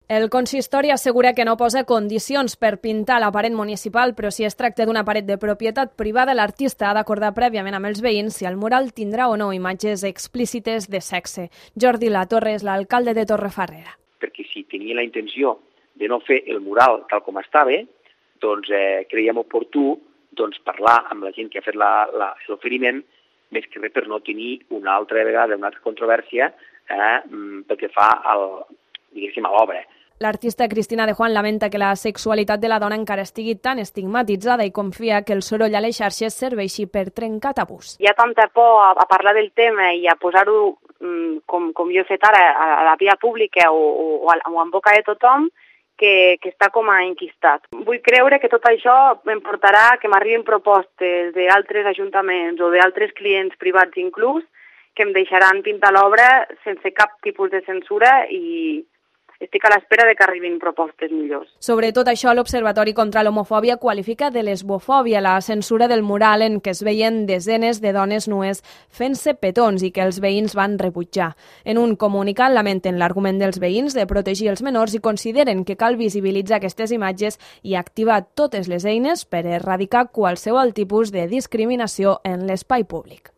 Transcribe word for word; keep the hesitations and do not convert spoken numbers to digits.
El consistori assegura que no posa condicions per pintar la paret municipal, però si es tracta d'una paret de propietat privada, l'artista ha d'acordar prèviament amb els veïns si el mural tindrà o no imatges explícites de sexe. Jordi Latorre és l'alcalde de Torrefarrera. Perquè si tenia la intenció de no fer el mural tal com estava, doncs eh, creiem oportú doncs, parlar amb la gent que ha fet l'oferiment, més que res per no tenir una altra vegada una altra controvèrsia eh, pel que fa al, diguéssim, a l'obra. L'artista Cristina de Juan lamenta que la sexualitat de la dona encara estigui tan estigmatitzada i confia que el soroll a les xarxes serveixi per trencar tabús. Hi ha tanta por a, a parlar del tema i a posar-ho, com, com jo he fet ara, a la via pública o, o, o en boca de tothom, que, que està com a enquistat. Vull creure que tot això em portarà que m'arribin propostes d'altres ajuntaments o d'altres clients privats inclús que em deixaran pintar l'obra sense cap tipus de censura i estic a l'espera de que arribin propostes millors. Sobre tot això, l'Observatori contra l'Homofòbia qualifica de lesbofòbia la censura del mural en què es veien desenes de dones nues fent-se petons i que els veïns van rebutjar. En un comunicat lamenten l'argument dels veïns de protegir els menors i consideren que cal visibilitzar aquestes imatges i activar totes les eines per erradicar qualsevol tipus de discriminació en l'espai públic.